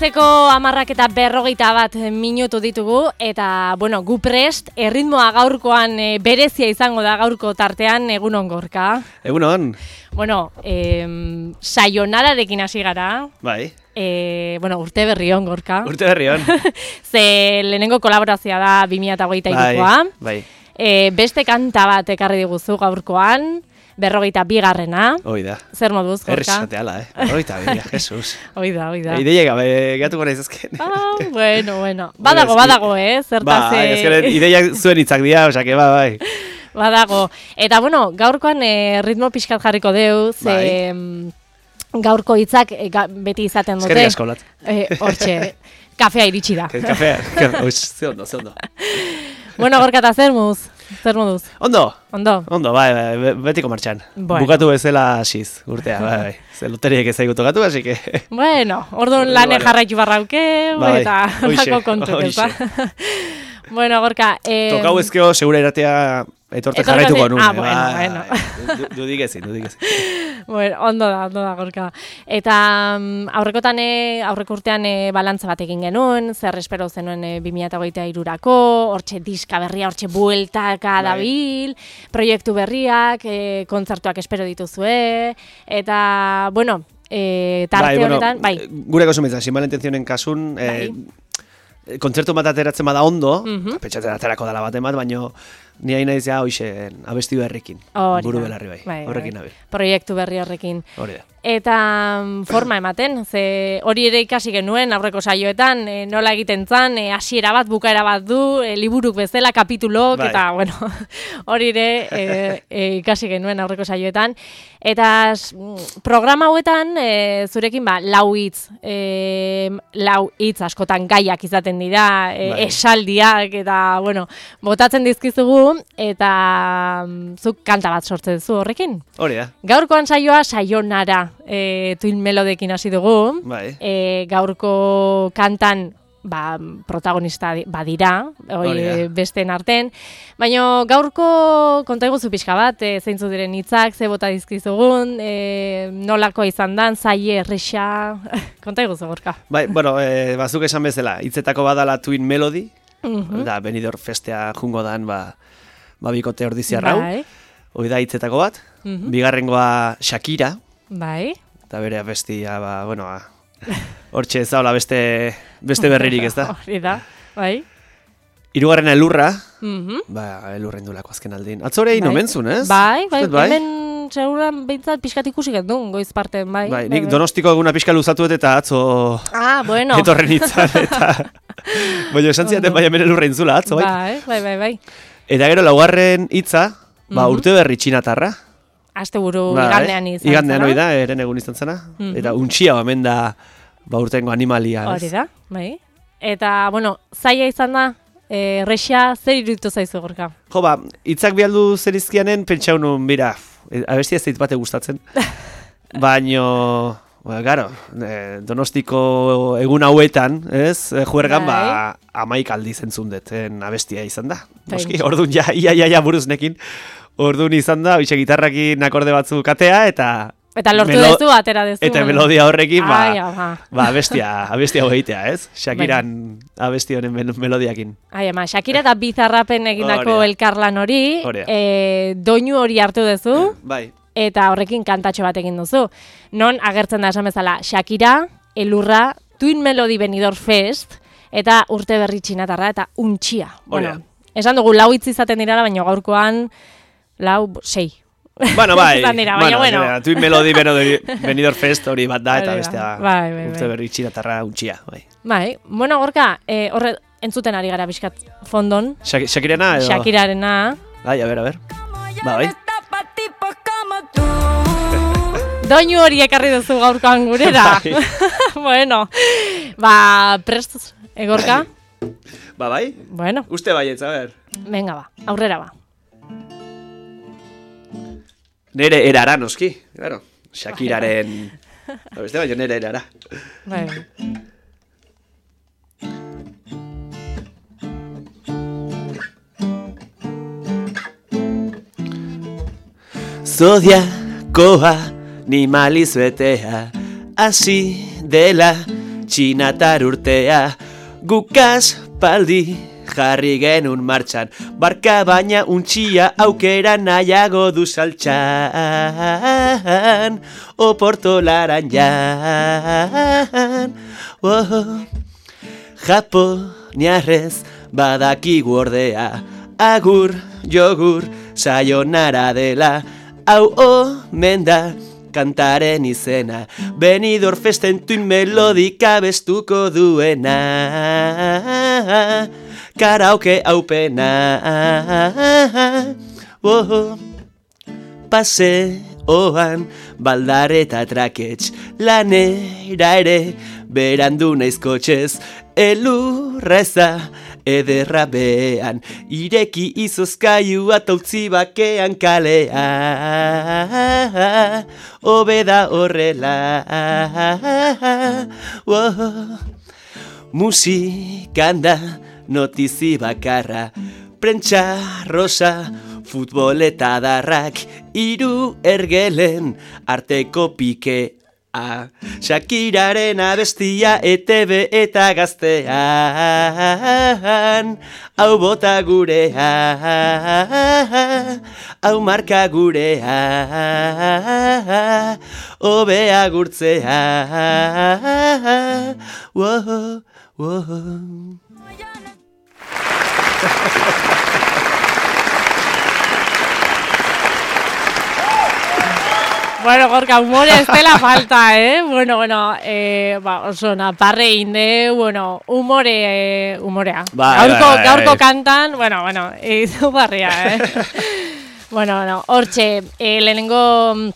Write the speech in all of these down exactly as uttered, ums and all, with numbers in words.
Goizeko hamarrak eta berrogeita bat minutu ditugu, eta, bueno, gu prest, erritmoa gaurkoan e, berezia izango da gaurko tartean, egunon Gorka. Egunon. Bueno, e, sayonararekin hasi gara. Bai. E, bueno, urte berri on, Gorka. Urte berri on. Ze lehenengo kolaborazioa da bi mila hogeita hirukoa. Bai, bai. E, beste kanta bat ekarri diguzu gaurkoan. Berrogeita bigarrena. Hoi da. Zer moduz, Gorka? Errezate ala, eh? Berrogeita biga, Jesus. Hoi da, hoi da. Ideia gabe, gehatuko nahiz ezken. Ah, bueno, bueno. Badago, badago, eh? Zertaz... Ba, ezken ideia zuen hitzak dira, osake, ba, bai. Badago. Eta, bueno, gaurkoan eh, ritmo pixkat jarriko deuz. Bai. Eh, gaurko hitzak eh, ga, beti izaten dute. Eskerrik asko, lat. Eh, hortxe, kafea iritsi da. Kafea, oiz, ze ondo, ze ondo. Bueno, Gorka, eta zer muz? Zer moduz? Ondo. Ondo. Ondo, bai, bai, betiko martxan. Bueno. Bukatu bezala hasiz, urtea, bai, bai. Ze loteriek ez zaigu tokatu, así que... Bueno, orduan lane Bueno. jarraitu barrauke, Bai, eta hoixe, lako kontu, hoixe. ezta? Bueno, Gorka... Eh, Tokau ezkeo, segura iratea etorte Etorte- jarraituko nuen. ah, bueno, bueno. Dudik ezin, dudik ezin. Bueno, ondo da, ondo da, Gorka. Eta mm, aurrekotan, e, aurreko urtean e, balantza bat egin genuen, zer espero zenuen e, bi mila hogeita hirurako, hortxe diska berria, hortxe bueltaka Bai. dabil, proiektu berriak, e, kontzertuak espero dituzue, eta, bueno, e, tarte Bai, bueno, honetan, bai. Gure kosumitza, sin mala intentzionen kasun, eh, kontzertu bat ateratzen bada ondo, Mhm. pentsatzen aterako dala baten bat, baino ni hain naiz ja hoxe abesti berrekin, Hori buru da. belarri bai, Bai, horrekin bai. nabil, Proiektu berri horrekin. hori da. Eta mm, forma ematen, ze hori ere ikasi genuen aurreko saioetan, e, nola egiten zan, e, hasiera bat, bukaera bat du, e, liburuk bezala, kapitulok, Bai. eta, bueno, hori ere e, e, ikasi genuen aurreko saioetan. Eta s- mm, programa hauetan, e, zurekin, ba, lau hitz, e, lau hitz askotan gaiak izaten dira, e, Bai. esaldiak, eta, bueno, botatzen dizkizugu, eta mm, zuk kanta bat sortzen zu horrekin. Hori da, Gaurkoan saioa sayonara e, Twin Melodekin hasi dugu. bai. E, gaurko kantan ba, protagonista di- badira, Hori hori da. besteen arten. Baina gaurko konta iguzu pixka bat, e, zeintzu diren hitzak, ze bota dizkizugun, e, nolako izan dan, zaie, erresa, konta iguzu, Gorka. Bai, bueno, eh, bazuk esan bezala, hitzetako badala Twin Melody, Mhm. da Benidorm festea jungo dan, ba, ba bikote ordiziarrau, Bai, hori da hitzetako bat, Mhm. bigarrengoa Shakira, bai, eta bere abestia, ba, bueno, ba, hortxe ez daula beste, beste berririk, ez da? hori da, bai. Hirugarrena elurra, Mhm. ba, elurren dulako azken aldin. Atzore egin Bai. omentzun, ez? Bai, bai, Uste dut, bai? hemen seguran behintzat pixkat ikusi gendun, goiz parten, bai. Bai, nik Donostiko eguna pixka luzatuet eta atzo Ah, bueno. etorren itzan, eta... Baina esan zidaten bai hemen elurra intzula, atzo, bai? Bai, bai, bai, bai. Eta gero laugarren hitza, ba, Mhm. urte berri txinatarra. Asteburu Bai, igandean izan Igandean zena. hori da, eren egun izan zena. Mhm. Eta untxia hemen da, ba, urtengo animalia, ez? Hori da, bai. Eta, bueno, zaila izan da, eh, Rexa zer iruditu zaizu, Gorka? Jo, ba, hitzak bialdu zerizkianen, pentsau nun, bira, e, abestia ez zait bate gustatzen. Baino, ba, garo, e, Donostiko egun hauetan, ez, e, juergan, ba, amaik aldiz entzun deten abestia izan da. Noski, Pentsa. orduan ja, ia, ia, ia buruznekin, orduan izan da, hoxe gitarrakin akorde batzuk atea, eta... Eta lortu melo- dezu, atera dezu. Eta melodia horrekin, ba, Ai, ama. ba abestia, abestia hogeitea, ez? Shakiran abesti honen mel- melodiakin. Ai, ama, Shakira eta Bizarrapen egindako Hori da. elkarlan hori, Hori da. eh, doinu hori hartu dezu, Bai, eta horrekin kantatxo bat egin duzu. Non agertzen da esan bezala, Shakira, elurra, Twin Melody Benidorm Fest, eta urte berri txinatarra, eta untxia. Hori da. Bueno, esan dugu lau hitz izaten dirala, baina gaurkoan lau, sei. bueno, bai, Izan dira, baina bueno. zera, Twin Melody Benidorm Fest hori bat da, eta Hori da. bestea Bai, bai, urte bai. berri txinatarra untxia, bai. Bai, bueno, Gorka, eh, horre, entzuten ari gara bizkat fondon, Shak Shakirana edo? Shakirarena. Bai, a ber, a ber. Ba, bai. Doinu hori ekarri duzu gaurkoan gurera. Bai. Bueno, ba, prest, eh, Gorka? Ba, bai? Bueno, Uste baietz, a ber. venga ba, aurrera ba. Nere erara, noski, claro. Shakiraren... Ba, beste baino nere erara. Bai. Zodiakoa ni maliz betea, hasi dela txinatar urtea, gukaz paldi jarri genun martxan, barka baina untxia aukera nahiago du saltxan, oporto laranjan. Oh, Japoniarrez badakigu ordea, agur, jogur, sayonara dela, hau omen da kantaren izena, Benidorm Festen tuin melodika bestuko duena, karaoke haupena. Oh, paseoan baldareta trakets, lanera ere berandu naiz kotxez, elurreza ederra bean, ireki izozkailua tautzi bakean kalea, hobeda horrela. Oh, musikan da notizi bakarra, prentsa rosa, futbol eta darrak, hiru ergelen arteko pikea, Shakiraren abestia E T B eta gaztean, hau bota gurea, hau marka gurea, hobea gurtzea. Wow, wow. Bueno, Gorka, humore ez dela falta, eh? Bueno, bueno, eh, ba, oso naparre inde, bueno, humore, eh, humorea. Ba, gaurko, ba, ba, gaurko ba, kantan, bueno, bueno, izu barria, eh? Bueno, bueno, hortxe, eh, lehenengo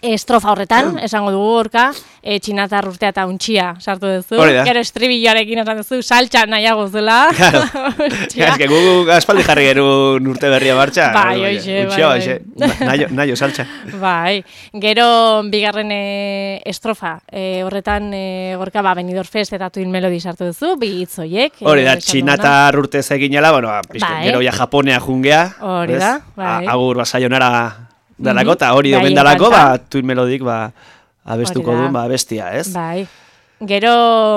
estrofa horretan, esango dugu Gorka, e, txinatar urtea eta untxia sartu duzu. Gero estribilloarekin esan duzu, saltxa nahiago zela. Claro. Ez que gugu aspaldi jarri gerun urte berria martxa. Bai, oixe, bai, bai. Naio, naio saltxa. Bai, gero bigarren e, estrofa, e, horretan e, Gorka, ba, Benidorm Fest eta Twin Melody sartu duzu, bi hitz hoiek. Hori da, txinatar urte eginela, bueno, bai. Gero ja Japonea jungea. Hori da, bai. Agur, ba, sayonara dalako, eta hori domen dalako, ba, Twin Melodik, ba, abestuko duen, ba, bestia, ez? Bai. Gero,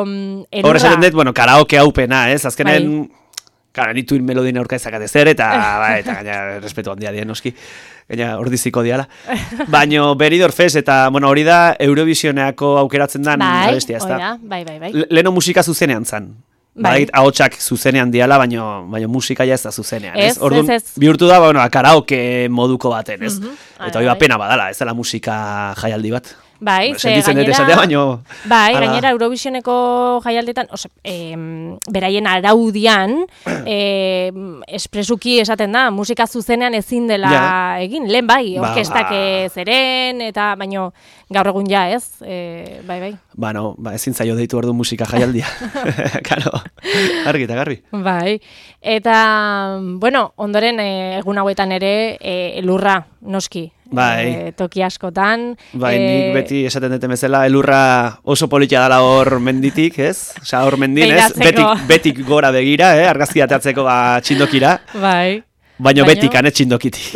erurra. Horre esaten dut, bueno, karaoke haupena, ez? Azkenen, kara, ni Twin Melodin aurka ezakate zer, eta, ba, eta gaina, respetu handia dien, noski, gaina, ordiziko diala. Baina, Benidorm Fest, eta, bueno, hori da, Eurovisioneako aukeratzen dan, bai, bestia, ez da? Bai, bai, bai. Leno musika zuzenean zan. Bai, ahotsak zuzenean diala, baina baino musika ja ez da zuzenean, ez? Orduan, bihurtu da, bueno, karaoke moduko baten, ez? Eta hori pena badala, ez dela musika jaialdi bat. Bai, ze gainera, baino, bai, gainera Eurovisioneko jaialdetan, ose, eh, beraien araudian, eh, espresuki esaten da, musika zuzenean ezin dela ja. egin, lehen bai, orkestak ba, ba. zeren, eta baino gaur egun ja, ez? Eh, bai, bai. Bueno, ba, ezin zaio deitu ordu musika jaialdia. Karo, argi eta garbi. Bai, eta, bueno, ondoren eh, egun hauetan ere eh, elurra, noski. Bai. E, toki askotan. Bai, e... nik beti esaten duten bezala, elurra oso politia dala hor menditik, ez? Osa, hor mendin, ez? Betik, betik gora begira, eh? Argazki ateatzeko ba, txindokira. Bai. Baina Baino... betik, ane txindokiti.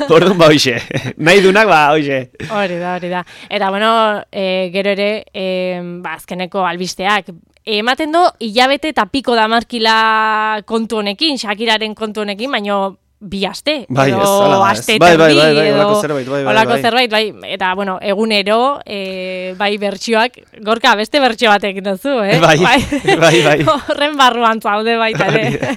Orduan ba, hoxe. Nahi dunak, ba, hoxe. Hori da, hori da. Eta, bueno, e, gero ere, e, ba, azkeneko albisteak, ematen do, hilabete eta piko damarkila kontu honekin, Shakiraren kontu honekin, baino bi aste, bai, edo aste bai, bai, bai, bai, edo olako zerbait, bai, bai, olako bai. zerbait, bai, eta, bueno, egunero, e, bai, bertsioak, Gorka, beste bertsio batek duzu, eh? Bai, bai, bai, bai. Horren barruan zaude baita, ere.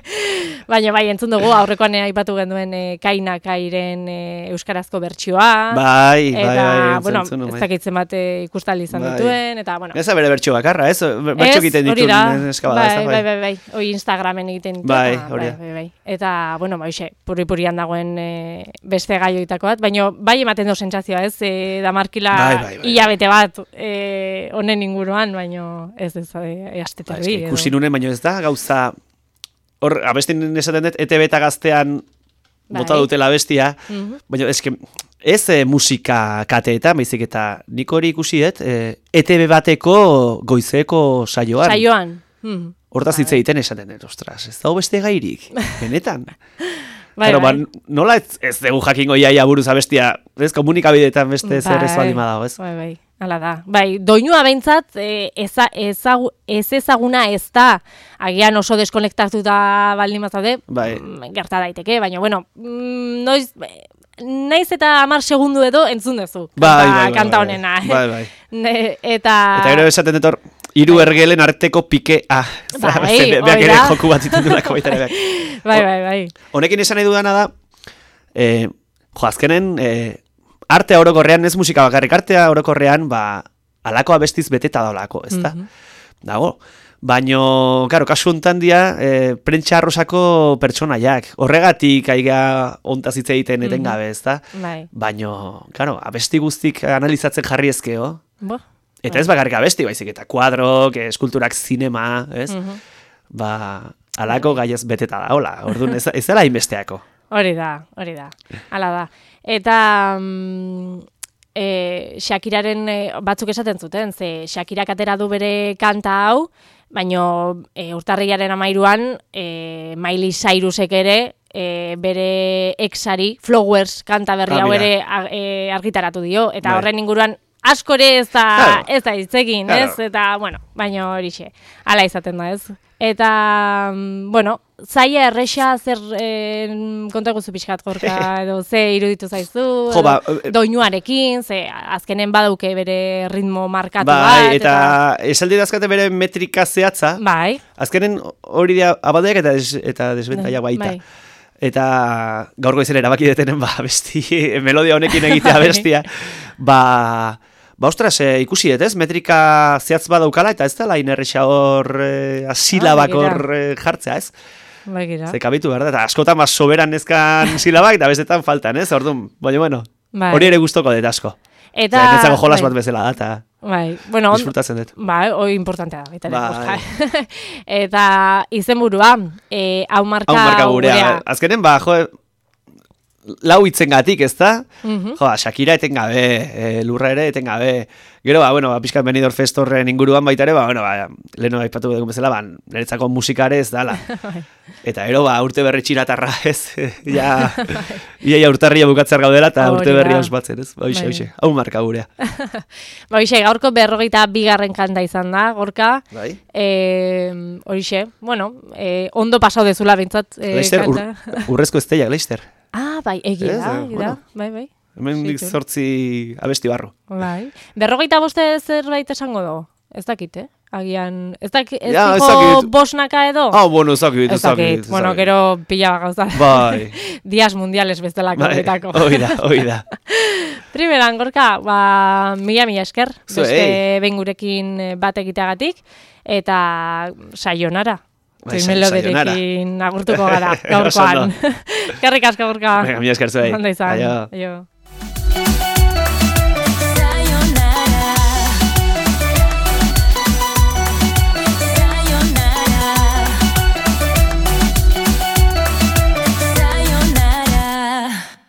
Baina, bai, entzun dugu, aurrekoan aipatu genduen e, Kaina Kairen e, euskarazko bertsioa. Bai, bai, eta, bai, bueno, entzun, ez dakitzen bat ikustali izan bai. dituen, eta, bueno. Ez da bere bertsio bakarra, ez? Bertsio egiten ditu eskabada, bai, ez da, bai, bai, bai, oi Instagramen egiten ditu. Bai, hori da. Bai, bai, eta, bueno, ba, hoxe, puri-purian dagoen e, beste gaioitako bat, baina bai ematen du sentsazioa, ez? E, damarkila bai, bai, bai. hilabete bat e, honen inguruan, baina ez ez, e, aste ba, terdi. Ikusi nunen, baina ez da, gauza, hor, abestin esaten dut, E T B eta gaztean bota dutela bestia, mm-hmm. baina eske, ez e, musika kateetan, baizik eta nik hori ikusi dut, e, E T B bateko goizeko saioan. Saioan. Hmm. Hortaz hitz egiten esaten dut, ostras, ez dago beste gairik, benetan. Bai, Claro, bai. Ba, nola ez, ez dugu jakingo iaia buruz abestia, ez komunikabideetan beste bai, zer ez baldin badago, ez? Bai, bai. Hala da. Bai, doinua behintzat e, eza, ezagu, ez ezaguna ez da, agian oso deskonektatuta baldin bazaude, bai. gerta daiteke, baina bueno, noiz naiz eta hamar segundu edo entzun duzu. Bai, bai, bai, kanta bai, honena. Bai, bai. Ne, eta Eta gero esaten dut hor, hiru ergelen arteko pikea. Bai, beak ere joku bat zituen dulako baita ere. Bai, bai, bai. Honekin esan nahi dudana da, eh, jo, azkenen, eh, artea orokorrean, ez musika bakarrik, artea orokorrean, ba, alako abestiz beteta daolako, ez da? Mm-hmm. Dago. Baino, karo, kasu hontan dia, e, prentsa arrosako pertsonaiak. Horregatik aiga ontaz hitz egiten etengabe, ez da? Bai. Baino, karo, abesti guztik analizatzen jarri ezkeo. Bo. Eta ez bakarrik abesti, baizik, eta kuadrok, eskulturak, zinema, ez? Mm-hmm. Ba, alako gaiez beteta da, hola. Orduan, ez, ez dela inbesteako. Hori da, hori da. Hala da. Eta mm, e, Shakiraren e, batzuk esaten zuten, ze Shakirak atera du bere kanta hau, baino e, urtarrilaren amairuan e, Miley Cyrusek ere e, bere exari Flowers kanta berri Ah, hau mira. ere a, e, argitaratu dio, eta Bai. horren inguruan askore ez da, Claro. ez da hitzekin, Claro. ez? Eta, bueno, baino horixe, hala izaten da, ez? Eta, mm, bueno, zaila erresa zer e, konta guzu pixkat gorka, edo ze iruditu zaizu, Jo, ba, edo doinuarekin, ze azkenen badauke bere ritmo markatu Bai, bat. eta esaldi dazkate bere metrika zehatza, Bai, azkenen hori dira abadeak eta, des, eta desbentaiak baita. bai. Eta gaurko izan erabaki detenen, ba, besti, melodia honekin egitea Bai. bestia, ba, ba, ostras, e, ikusi dut, ez? Metrika zehatz badaukala, eta ez dela inerresa hor, e, asilabak Ah, begira. hor e, jartzea, ez? Bai, gira. Ze kabitu, berda, eta askotan ba, soberan nezkan silabak, eta bestetan faltan, ez? Orduan, baina, bueno, Bai. hori ere gustoko dut asko. Eta, Eta netzako jolas bai, bat bezala da, eta bai, bueno, on, disfrutatzen dut. bai, hori importantea da, baita ere, Bai. Borja. Eta izenburua, eh, hau marka, Hau marka gurea. Azkenen, ba, jo, lau hitzengatik, ez da? Mhm. Jo, Shakira etengabe, e, lurra ere etengabe. Gero, ba, bueno, ba, pixkat Benidorm Fest horren inguruan baita ere, ba, bueno, ba, leheno aipatu dugun bezala, ba, niretzako musikare ez dala. Eta gero, ba, urte berri txiratarra, ez? ja, ia, ia urtarria bukatzer gaudela, eta Hori urte berria da. ospatzen, ez? Ba, hoxe, Bai. hoxe, hau marka gurea. Ba, hoxe, gaurko berrogeita bigarren kanta izan da, gorka. Bai? E, horixe, bueno, e, ondo pasau dezula bintzat e, Leister, ur, kanta. urrezko esteiak, Leister. Ah, bai, egia Ez, da, eh, egia da, bueno. bai, bai. Hemen dik Zitur. zortzi abesti barru. Bai. Berrogeita boste zerbait esango do? Ez dakit, eh? Agian, ez dakit, ez Ja, ez dijo dakit. bosnaka edo? Ah, bueno, zakit, ez dakit, bueno, gero pila gauza. Bai, Días mundiales bestelako bai, horretako. hoi da, hoi da. Primeran, gorka, ba, mila mila esker, Zuei. beste behin gurekin eh, bat egiteagatik, eta sayonara. Bai, Zein sa- meloderekin agurtuko gara, Oso gaurkoan. ondo. Eskerrik asko, gorka. Venga, mila esker zuei. Ondo izan. Aio. Aio.